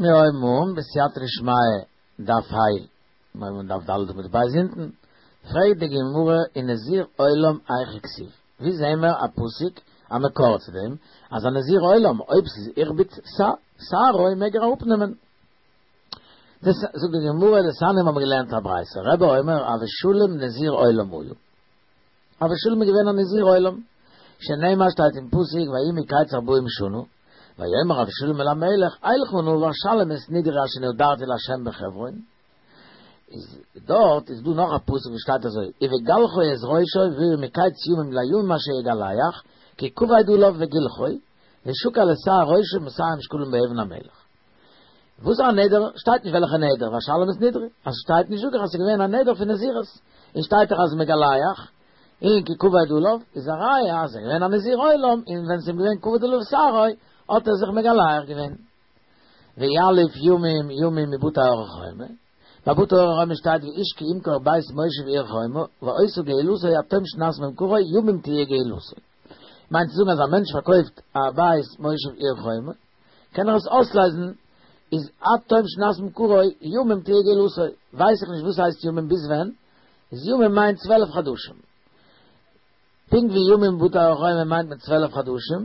מיר הויבן אן בסייעתא דשמיא דף ה', מיר הויבן אן דף ד' עמוד ב' אונטן, פרעגט די גמרא ונזיר עולם היכא כתיב, ווי זעהן מיר א פסוק א מקור צו דעם אז א נזיר עולם אויב ס'איז הכביד שערו מעג ער אראפנעמען? דאס זאגט די גמרא דתניא האבן מיר געלערנט א ברייתא רבי אומר אבשלום נזיר עולם היה. אבשלום איז געווען א נזיר עולם, שנאמר שטייט אין פסוק ויהי מקץ ארבעים שנה, ויאמר אבשלום אל המלך אלכה נא ואשלם את נדרי אשר נדרתי לה' בחברון, איז דארט איז דא נאך א פסוק וואס שטייט אזוי ובגלחו את ראשו והיה מקץ ימים לימים אשר יגלח כי כבד עליו וגלחו ושקל את שער ראשו מאתים שקלים באבן המלך. וואס א נדר? שטייט נישט וועלכע נדר, ואשלם את נדרי, אז שטייט נישט זאג איך אז ס'איז געווען א נדר פון נזירות, און שטייט דאך אז מגלח, און כי כבד עליו, איז א ראיה אז ער איז געווען א נזיר עולם, און ווען ס'איז אים געווען כבד עליו שערו, האט ער זיך מגלח געווען. ויליף ימים ימים מבתי ערי חומה, ביי בתי ערי חומה שטייט ואיש כי ימכור בית מושב עיר חומה, והיתה גאולתו עד תום שנת ממכרו ימים תהיה גאולתו. מיינט צו זאגן אז א מענטש פארקויפט א בית מושב עיר חומה, קען ער עס אויסלייזן, איז עד תום שנת ממכרו ימים תהיה גאולתו, ווייס איך נישט וואס הייסט ימים ביז ווען, איז ימים מיינט צוועלף חדשים, פונקט ווי ימים בתי ערי חומה מיינט מען צוועלף חדשים,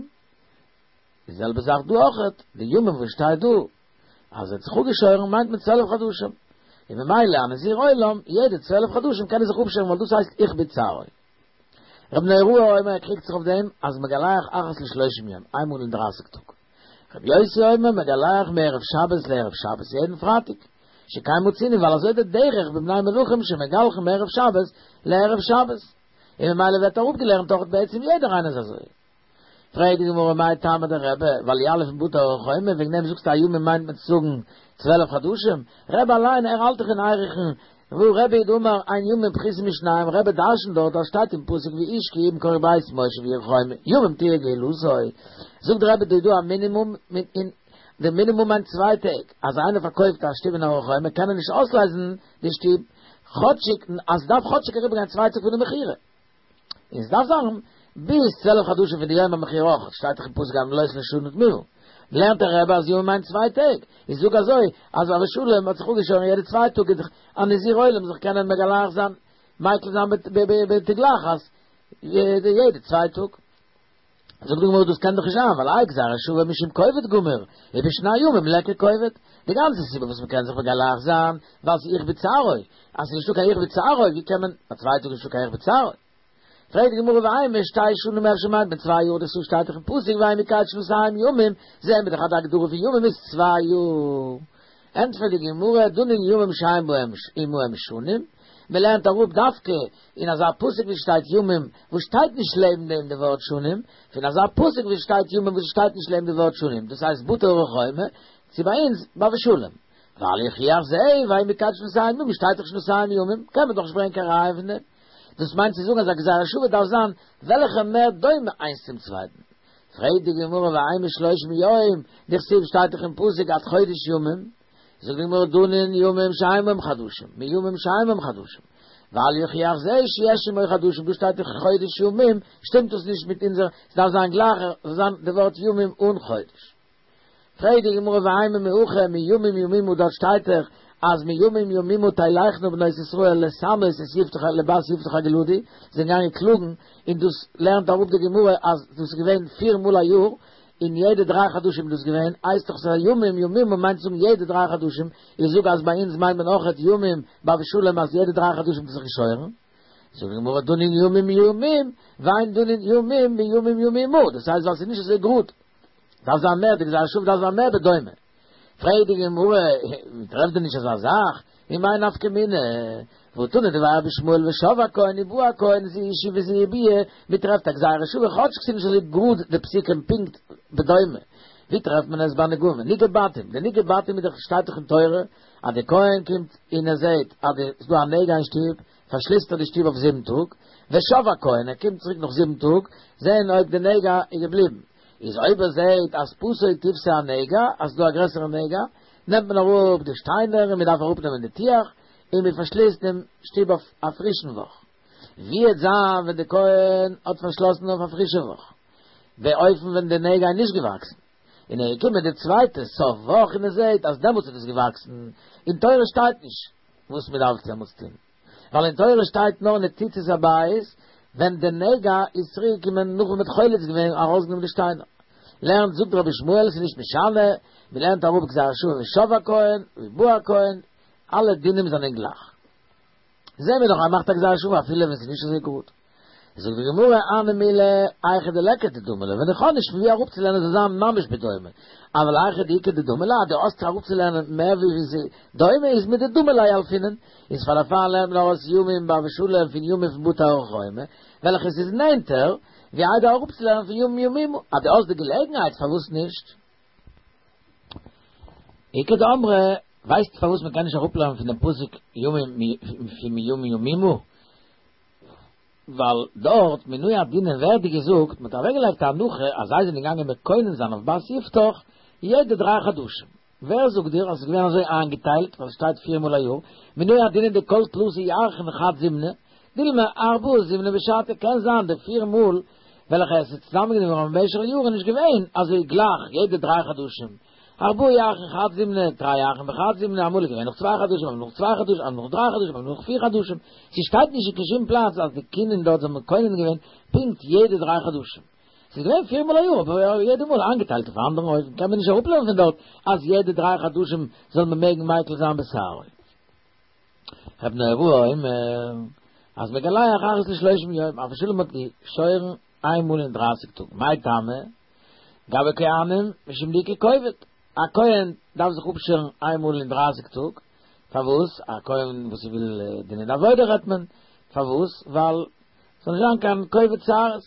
די זעלבע זאך דא אויכעט, די ימים וואס שטייט דא אז ער האט זיך אפגעשוירן מיינט מען צוועלף חדשים, און ממילא א נזיר עולם יעדע צוועלף חדשים קען ער זיך אפשערן ווייל דאס הייסט הכביד שערו. רבי נהוראי אומר ער קריגט זיך אויף דעם אז מגלח אחת לשלושים יום, איינמאל אין דרייסיג טאג. רבי יוסי אומר מגלח מערב שבת לערב שבת יעדן פרייטאג, שכן מצינו ווייל אזוי די דרך בבני מלכים שמגלחין מערב שבת לערב שבת, און ממילא ווערט אראפגעלערנט אויך בעצם יעדער איינער איז אזוי. פרעגט די גמרא מאי טעמא דרבי, ווייל יליף מבתי ערי חומה, וועגן דעם זאגסטו אז ימים מיינט מען צו זאגן צוועלף חדשים? רבי אליין ער האלט דאך אין ערכין, והא רבי הוא דאמר אין ימים פחותין משניים, רבי דרשנט דארט אז שטייט אין פסוק ואיש כי ימכור בית מושב עיר חומה, ימים תהיה גאולתו, זאגט רבי דא איז דא א מינימום, און די מינימום מיינט צוויי טעג, אז איינער פארקויפט א שטוב אין ערי חומה קען ער נישט אויסלייזן די שטוב כאטשיג אז ס'דארף כאטשיג אריבערגיין צוויי טאג פון די מכירה. און ס'דארף זיין ביז צוועלף חדשים פון די יום המכירה אויך, שטייט דאך אין פסוק עד מלאות לשנה תמורה. לערנט דער רבי אז ימים מיינט צוויי טעג, איז זאג אזוי אז אבשלום האט זיך אפגעשוירן יעדע צוויי טאג איז דאך א נזיר עולם זיך קענען מגלח זיין מיקל זיין בתגלחת יעדע צוויי טאג. זאגט די גמרא דאס קען דאך נישט זיין ווייל האי גזירה שוה משום כובד גמור ובשני ימים ליכא כובד, די גאנצע סיבה וואס מ'קען זיך מגלח זיין ווייל ס'איז הכביד שערו, אז ס'איז נישטא קיין הכביד שערו ווי קען מען ביי צוויי טאג נישטא קיין הכביד שערו? פרעגט די גמרא ואימא שתי שנים אפשר מיינט מען צוויי יאר דכתיב שטייט דאך אין פסוק ויהי מקץ שנתים ימים זעהן מיר דאך אז די הגדרה פון ימים איז צוויי יאר. ענטפערט די גמרא, דנין ימים שאין בהם עמהם שנים, מען לערנט אראפ דווקא אין אזא פסוק ווי שטייט ימים וואס שטייט נישט לעבן דעם די ווארט שנים, פון אזא פסוק ווי שטייט ימים וואס שטייט נישט לעבן די ווארט שנים, דאס הייסט בתי ערי חומה, צו ביי אונז ביי אבשלום. ואל יוכיח זה, ויהי מקץ שנתים ימים שטייט דאך שנתים ימים, קען מען דאך נישט ברענגען קיין ראיה פון דעם. דאס מיינט צו זאגן אז א גזירה שוה דארף זיין וועלכע מער דומה איינס צום צווייטן. פרעגט די גמרא ואימא שלושים יום, דכתיב שטייט דאך אין פסוק עד חודש ימים, זאגט די גמרא דנין ימים שאין בהם חדשים, מימים שאין בהם חדשים, ואל יוכיח זה שיש עמו חדשים, דא שטייט דאך חודש ימים, שטימט דאס נישט מיט אונזער, ס'דארף זיין גלייכער, זאל זיין די ווארט ימים אן חודש. פרעגט די גמרא ואימא מהכא מימים ימימה דארט שטייט דאך אז מימים ימימה תלכנה בנות ישראל לשמות את יפתח לבת יפתח הגלעדי, זיי זענען געגאנגען קלאגן, און דאס לערנט אראפ די גמרא אז דאס איז געווען פיר מאל א יאר, און יעדע דריי חדשים איז דאס געווען, הייסט דאך ס'איז ימים ימימה מיינט צו זאגן יעדע דריי חדשים, איך זאג אז ביי אונז מיינט מען אויכעט ימים ביי אבשלום אז יעדע דריי חדשים האט ער זיך געשוירן. זאגט די גמרא דנין ימים ימים, ואין דנין ימים מימים ימימה, דאס הייסט ווייל ס'איז נישט אזוי גראד. דארף זיין מער, די גזירה שוה דארף זיין מער בדומה. פרעגט די גמרא, מ'טרעפט דען נישט אזא זאך? ומאי נפקא מינה? והתנא דבי רבי ישמעאל ושב הכהן ובא הכהן זו היא שיבה וזו היא ביאה, מ'טרעפט א גזירה שוה כאטש ס'איז נישט אזוי גראד די פסוקים פונקט בדומה. ווי טרעפט מען עס ביי נגעים? נגעי בתים, די נגעי בתים איז דאך שטייט דאך אין תורה אז די כהן קומט און ער זעט אז ס'איז דא א נגע אין שטוב, פארשליסט ער די שטוב אויף זיבן טאג, ושב הכהן, ער קומט צוריק נאך זיבן טאג, זען אויב די נגע איז געבליבן. איז אויב ער זעט אז פתו תפשה הנגע, אז ס'איז דא א גרעסערע נגע, נעמט מען אראפ די שטיינער און מען דארף אראפנעמען די טיח, און מען פארשליסט דעם שטוב אויף א פרישן וואך. ווי וועט זיין ווען די כהן האט פארשלאסן אויף א פרישע וואך, באופן ווען די נגע איז נישט געוואקסן? און ער איז געקומען די צווייטע סוף וואך און ער זעהט אז דעמאלטס איז עס געוואקסן, אין תורה שטייט נישט וואס מען דארף דעמאלטס טון, ווייל אין תורה שטייט נאר ניצוצות הבית ווען די נגע איז צוריק געקומען נאך ווען מען האט חולץ געווען ארויסגענומען די שטיינער. לערנט זאגט רבי ישמעאל ס'איז נישט משנה, מען לערנט אראפ גזירה שוה ושב הכהן ובא הכהן, אלע דינים זענען גלייך. זעהן מיר דאך אז ער מאכט א גזירה שוה אפילו ווען ס'איז נישט אזוי גראד. זאגט די גמרא, הני מילי היכא דליכא דדמי ליה, ווען איך האב נישט פון ווי אראפצולערנען זאל זיין ממש בדומה, אבל היכא דאיכא דדמי ליה, אז דו האסט אראפצולערנען מער ווי ווי ס'איז דומה איז מדדמי ליה ילפינן, איז פאר דערפאר לערנט מען ארויס ימים ביי אבשלום פון ימים פון בתי ערי חומה, וועלכע ס'איז נענטער, ווי איידער אראפצולערנען פון ימים ימימה, אז דו האסט די געלעגנהייט פארוואס נישט? איכא דאמרי, ווייסט פארוואס מ'קען נישט אראפלערנען פון דעם פסוק ימים פון ימים ימימה? ווייל דארט מינוי הדינים ווערט געזאגט, מ'האט אוועקגעלייגט א הנחה אז זיי זענען געגאנגען מקונן זיין אויף בת יפתח יעדע דריי חדשים. ווער זאגט דיר אז ס'איז געווען אזוי איינגעטיילט, ווייל ס'שטייט פיר מאל א יאר, מינוי הדינים דכל תלתא ירחין חד זימנא, דילמא ארבעה זימני בשתא, קען זיין די פיר מאל וועלכע עס איז צוזאמענגענומען געווארן במשך יארן איז נישט געווען אזוי גלייך יעדע דריי חדשים, ארבעה ירחין חד זימנא, תרי ירחין בחד זימנא, אמאל איז געווען נאך צוויי חדשים, אמאל נאך צוויי חדשים, אמאל נאך דריי חדשים, אמאל נאך פיר חדשים, ס'שטייט נישט אין קיין שום פלאץ אז די קינין דארט זענען מקונן געווען פונקט יעדע דריי חדשים. ס'איז געווען פיר מאל א יאר, אבער יעדע מאל איינגעטיילט אויף א אנדערן אופן, קען מען נישט אראפלערנען פון דארט אז יעדע דריי חדשים זאל מען מעגן מיקל זיין בשערו. רבי נהוראי אומר אז מגלח אחת לשלושים יום, אבשלום האט געשוירן איין מאל אין דרייסיג טאג, מאי טעמא? גבי כהנים משום דאיכא כובד, א כהן דארף זיך אפשערן איין מאל אין דרייסיג טאג, פארוואס? א כהן וואס וויל דינען עבודה רעדט מען, פארוואס? ווייל ס'זאל נישט זיין קיין כובד שערות,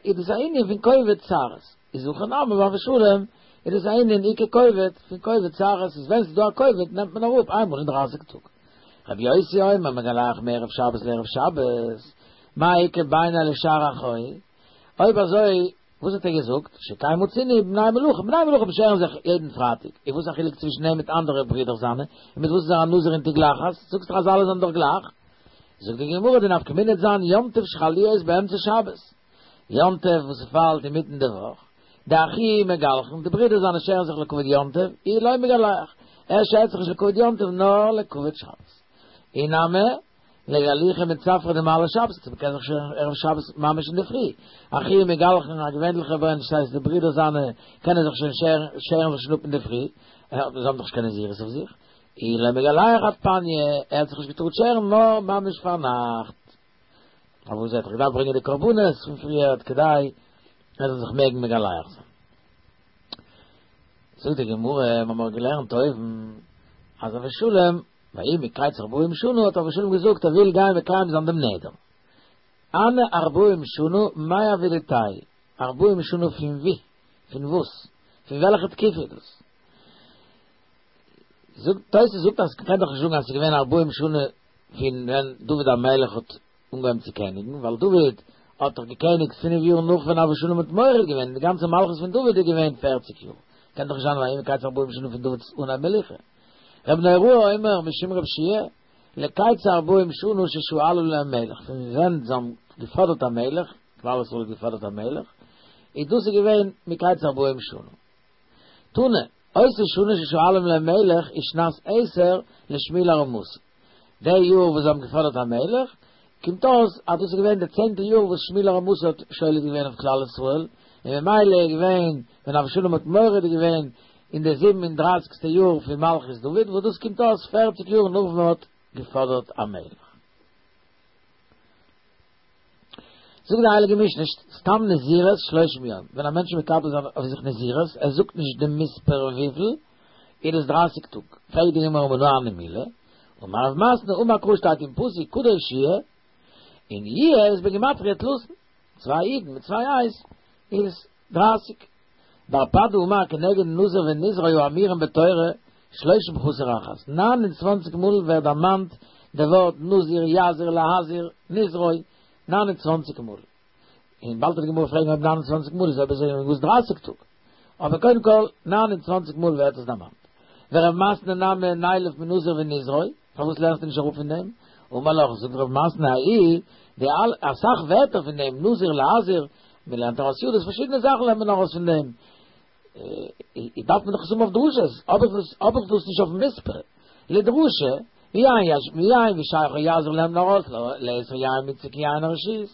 איז דאס א ענין פון כובד שערות, איז הכא נמי ביי אבשלום איז דאס א ענין איכא כובד פון כובד שערות, איז ווען ס'איז דא א כובד נעמט מען אראפ איינמאל אין דרייסיג טאג. רבי יוסי אומר מגלח מערב שבת לערב שבת, מאי איכא בינייהו לשאר אחוהי? אויב אזוי וואס האט ער געזאגט? שכן מצינו בני מלכים, בני מלכים שערן זיך יעדן פרייטאג, איז וואס א חילוק צווישן אים מיט אנדערע ברידער זיינע, און מיט וואס איז ער א נזיר אין תגלחת? זאגסט דאך אז אלע זענען דאך גלייך. זאגט די גמרא די נפקא מינה וועט זיין יום טוב שחל להיות באמצע שבת, יום טוב וואס ס'פאלט אינמיטן די וואך, דאחוהי מגלחין, די ברידער זיינע שערן זיך לכבוד יום טוב, איהו לא מגלח, ער שערט זיך נישט לכבוד יום טוב נאר לכבוד שבת. אי נמי, לגלוחי מצפרא דמעלי שבתא, מ'קען זיך שערן ערב שבת ממש אינדערפרי, אחוהי מגלחין א געווענליכער מענטש דאס הייסט די ברידער זיינע קענען זיך שוין שערן, שערן זיך שוין אפ אינדערפרי, זיי האבן דאך נישט קיין נזירות אויף זיך, איהו לא מגלח עד פניא, ער האט זיך נישט געטארט שערן נאר ממש פארנאכט. פארוואס ער האט דאך געדארפט ברענגען די קרבנות פון פריערט כדי ער זאל זיך מעגן מגלח זיין. זאגט די גמרא, מיר האבן געלערנט אויבן אז אבשלום, ויהי מקץ ארבעים שנה האט אבשלום געזאגט ער וויל גיין מקיים זיין דעם נדר. הני ארבעים שנה מאי עבידתייהו? ארבעים שנה פון ווי? פון וואס? פון וועלכע תקופה איז דאס? זאגט תוס' זאגט אז מ'קען דאך נישט זאגן אז ס'איז געווען ארבעים שנה פון ווען דוד המלך האט אנגעהויבן צו קעניגן, ווייל דוד האט דאך געקעניגט פינף יאר נאך ווען אבשלום האט מורד געווען, די גאנצע מלכות פון דוד איז געווען פערציג יאר, קען דאך נישט זיין ויהי מקץ ארבעים שנה פון דוד'ס אנהייב מלוכה. רבי נהוראי אומר משום רבי יהושע לקץ ארבעים שנה ששאלו להם מלך, פון ווען זיי האבן געפאדערט א מלך, כלל ישראל האט געפאדערט א מלך, איז דאס איז געווען מקץ ארבעים שנה. תנא, אותה שנה ששואלים להם מלך איז שנת עשר לשמואל הרמתי. די יאר וואס זיי האבן געפאדערט א מלך, קומט אויס אז דאס איז געווען די צענטע יאר וואס שמואל הרמתי האט שולט געווען אויף כלל ישראל, און ממילא איז געווען ווען אבשלום האט מורד געווען אין די זיבן און דרייסיגסטע יאר פון מלכות דוד, וואס דאס קומט אויס פערציג יאר נאך ווען מען האט געפאדערט א מלך. זאגט די הייליגע משנה, סתם נזירות שלושים יום, ווען א מענטש איז מקבל זיין אויף זיך נזירות, ער זאגט נישט די מספר וויפיל, איז דאס דרייסיג טאג, פרעגט די גמרא מנא הני מילי, אמר רב מתנה, אמר קרא שטייט אין פסוק קדוש יהיה, און יהיה איז בגימטריא תלתין, צוויי יודן מיט צוויי היי'ס איז דרייסיג. בר פדא אמר כנגד נזיר ונזרו האמורים בתורה שלושים חסר אחת, 29 מאל ווערט דערמאנט די ווארט נזיר יזיר להזיר נזרו, 29 מאל. און באלד וועט די גמרא פרעגן אויב 29 מאל איז אויב אזוי וואס דרייסיג טאג. אבער קודם כל, 29 מאל ווערט עס דערמאנט. ורב מתנה נמי נילף מנזיר ונזרו, פארוואס לערנסטו נישט אראפ פון דעם? אמר לך, זאגט רב מתנה ההוא, די אלע, אסאך ווערטער פון דעם, נזיר להזיר, מען לערנט ארויס ידות, פארשידענע זאכן לערנט מען ארויס פון דעם. איז דארף מען דאך עס האבן אויף דרשות, האב איך דאס האב איך דאס נישט אויפן מספר, לדרשה, ויין יש ויין ושייכו יזיר לערנט מען ארויס לאסור יין מצוה כיין הרשות,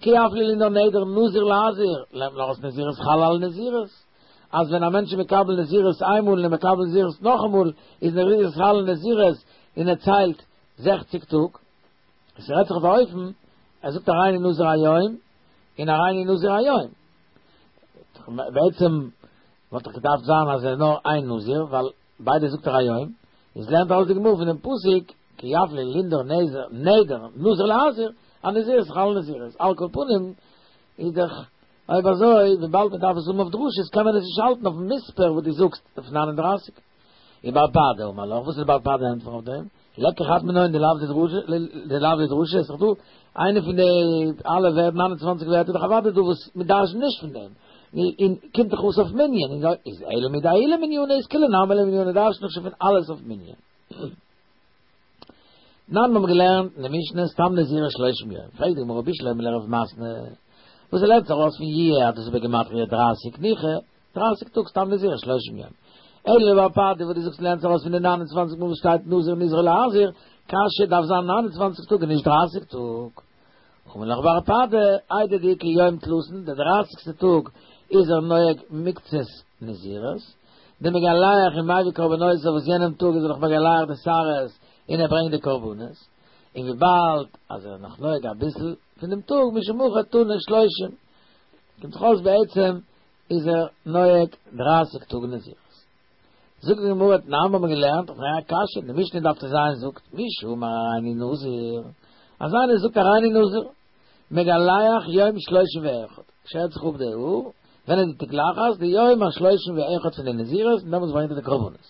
כי יפליא לנדור נדר נזיר להזיר, לערנט מען ארויס נזירות חל על נזירות, אז ווען א מענטש איז מקבל נזירות איינמאל און מקבל נזירות נאכאמאל, איז נזירות חל על נזירות און ער ציילט זעכציג טאג. עס רעדט זיך אויף א אופן, ער זאגט הריני נזיר היום, און הריני נזיר היום. בעצם וואלט דאך געדארפט זיין אז ער איז נאר איין נזיר, ווייל ביידע זאגט ער היום, איז לערנט ארויס די גמרא פון דעם פסוק, כי יפליא לנדור נזר נדר נזיר להזיר, אז נזירות חל על נזירות. על כל פנים איז דאך אויב אזוי, וויבאלד מען דארף עס האבן אויף דרשות קען מען עס נישט האלטן אויפן מספר וואס דו זאגסט אויף 39. ובר פדא אמר לך, וואס איז בר פדא ענטפער אויף דעם? ליכא חד מינייהו דלאו דדרשה, דלאו לדרשה, איז דאך דא איינע פון די אלע ווערט 29 ווערטער דאך אוודאי דא וואס מען דרש'נט נישט פון דעם. און קומט דאך אויס אויף מנין, און איז אלא מדההוא למנינא איז כולהו נמי למנינא דרש'נט דאך שוין פון אלעס אויף מנין. תנן מיר האבן געלערנט אין די משנה סתם נזירות שלושים יום, פרעגט די גמרא בשלמא לרב מתנה, וואס ער לערנט ארויס פון יהיה אז דאס איז בגימטריא דרייסיג ניחא, דרייסיג טאג סתם נזירות שלושים יום. אלא לבר פדא וואס דו זאגסט לערנסט ארויס פון די 29 מאל וואס שטייט נזיר נזרו להזיר, קשיא דארף זיין 29 טאג און נישט 30 טאג. אמר לך בר פדא, איידי דאיכא יום תלתין, דער דרייסיגסטע טאג איז ער נוהג מקצת נזירות, דמגלח ומביא קרבנותיו וואס יענעם טאג איז ער נאך מגלח די שערות און ער ברענגט די קרבנות, און וויבאלד אז ער איז נאך נוהג אביסל פון דעם טאג משום הכי תני שלושים, קומט זיך אויס בעצם איז ער נוהג דרייסיג טאג נזירות. זאגט די גמרא תנן האבן מיר געלערנט אויף א קשיא, די משנה דף ט"ז זאגט מי שאמר הריני נזיר, אז איינער זאגט הריני נזיר, מגלח יום שלושים ואחד, שערט זיך אפ די האר, ווען איז די תגלחת? די יום השלושים ואחד פון די נזירות, און דעמאלטס ברענגט ער די קרבנות.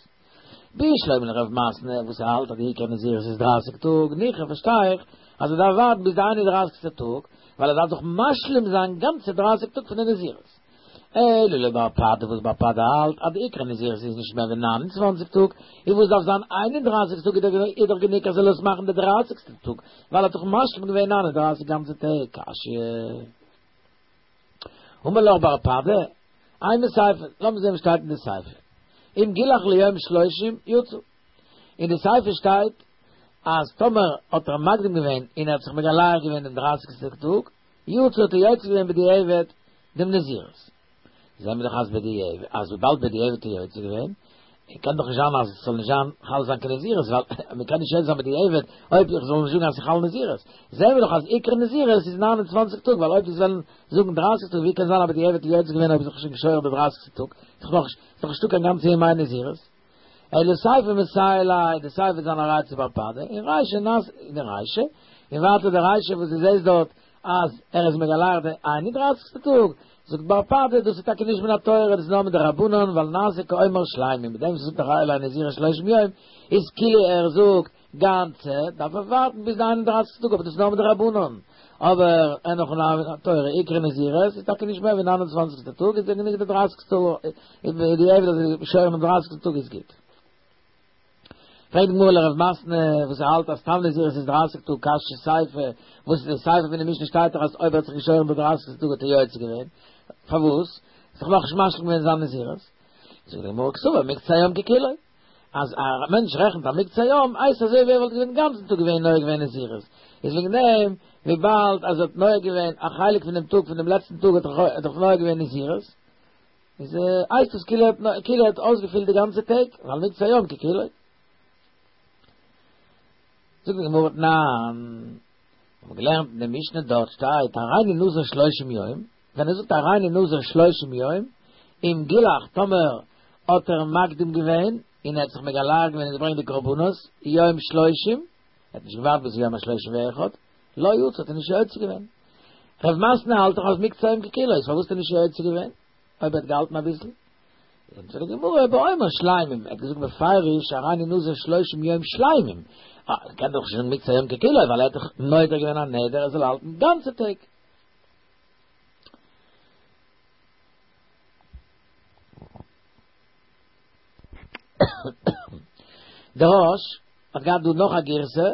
בשלמא לרב מתנה וואס ער האלט אז די עיקר נזירות איז דרייסיג טאג, ניחא פארשטיי איך אז ער דארף ווארטן ביז די איין און דרייסיגסטע טאג, ווייל ער דארף דאך משלים זיין גאנצע דרייסיג טאג פון די נזירות. אלא לבר פדא וואס בר פדא האלט אז די עיקר נזירות איז נישט מער ווי 29 טאג, און וואס דארף זיין 31 טאג איז דאך גענוג אז ער זאל עס מאכן די דרייסיגסטע טאג, ווייל ער האט דאך משלים געווען 39 גאנצע טעג. קשיא. אמר לך בר פדא, אימא סיפא, לאמיר זען וואס שטייט אין די סיפא. אם גילח ליום שלושים יצא. אין די סיפא שטייט אז טאמער האט ער מקדים געווען און ער האט זיך מגלח געווען דעם דרייסיגסטע טאג, יצא האט ער יוצא געווען בדיעבד דעם נזירות. זעהן מיר דאך אז בדיעבד, אז וויבאלד בדיעבד האט ער יוצא געווען, קען דאך נישט זיין אז עס זאל נישט זיין חל זיין קיין נזירות, ווייל מען קען נישט יוצא זיין בדיעבד אויב איך זאל נישט זאגן אז עס איז חל נזירות. זעהן מיר דאך אז עיקר נזירות איז 29 טאג, ווייל אויב דאס וועלן זאגן 30 טאג, ווי קען זיין אז בדיעבד האט ער יוצא געווען אויב איז זיך שוין געשוירן די 30 טאג, איז דאך נאך נישטא קיין גאנצע ימי נזירות. אלא סיפא מסייע ליה, די סיפא איז זיין א ראיה צו בר פדא, און רישא נס, די רישא, און ווייטער די רישא וואס דו זעסט דארט אז ער איז מגלח די איין און דרייסיגסטע טאג, זאגט בר פדא דאס איז טאקע נישט מן התורה, דאס איז נאר מדרבנן, ווייל נעשה כאומר שלימים, מיט דעם וואס ער זאגט הרי נזירות שלושים יום, איז כאילו ער זאגט גאנצע, דארף ער ווארטן ביז די איין און דרייסיגסטע טאג, אבער דאס איז נאר מדרבנן, אבער אין הכי נמי מן התורה, עיקר נזירות איז טאקע נישט מער ווי ניין און צוואנציגסטע טאג, איז גענוג די דרייסיגסטע בדיעבד אז ער געשוירן דעם דרייסיגסטן טאג איז גוט. פרעגט די גמרא לרב מתנה וואס ער האלט אז סתם נזירות איז דרייסיג טאג קשיא סיפא, וואס איז די סיפא פון די משנה שטייט דאך אז אויב ער האט זיך געשוירן די דרייסיגסטע טאג האט ער יוצא געווען, פארוואס? איז דאך נאכנישט משלים געווען זיין נזירות. זאגט די גמרא קסבר מקצת היום ככולו, אז א מענטש רעכנט א מקצת היום הייסט אזוי ווי ער וואלט געווען גאנצן טאג געווען נוהג געווען נזירות, איז וועגן דעם וויבאלד אז ער האט נוהג געווען א חלק פון דעם טאג פון דעם לעצטן טאג האט ער דאך נוהג געווען נזירות, איז הייסט עס כאילו כאילו ער האט אויסגעפילט די גאנצע טעג, ווייל מקצת היום ככולו. זאגט די גמרא תנן, האבן געלערנט אין די משנה דארט שטייט הריני נזיר שלושים יום, ווען ער זאגט הריני נזיר שלושים יום, אם גילח טאמער האט ער מקדים געווען און ער האט זיך מגלח געווען און געברענגט די קרבנות יום שלושים, ער האט נישט געווארט ביז יום השלושים ואחד, לא יצא האט ער נישט יוצא געווען. רב מתנה האלט דאך אז מקצת היום ככולו, איז פארוואס האט ער נישט יוצא געווען? אויב ער האט געהאלטן אביסל? ענטפערט די גמרא באומר שלימים, ער האט געזאגט בפירוש הריני נזיר שלושים יום שלימים, אה, קען דאך נישט זאגן מקצת היום ככולו, ווייל ער האט דאך נודר געווען א נדר ער זאל האלטן גאנצע טעג. דער רא"ש האט געהאט דא נאך א גירסא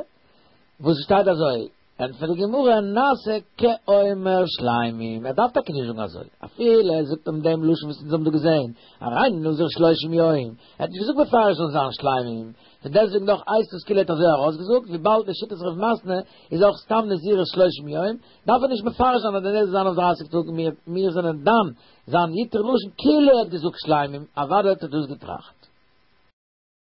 וואס שטייט אזוי, ענטפערט די גמרא, נעשה כאומר שלימים, ער דארף טאקע נישט זאגן אזוי, אפילו. אפילו ער זאגט אים דעם לשון וואס אונז האבן דא געזען, הריני נזיר שלושים יום, ער האט נישט געזאגט מפרש זאל זיין שלמים, פון דעסטוועגן דאך הייסט עס כאילו ער האט אזוי ארויסגעזאגט, וויבאלד לשיטת רב מתנה איז אויך סתם נזירות שלושים יום, דארף ער נישט מפרש זיין אז די נדר זאל זיין אויף דרייסיג טאג, מיר זענען דן זיין ייתור לשון כאילו ער האט געזאגט שלמים, אוודאי האט ער דאס געטראכט.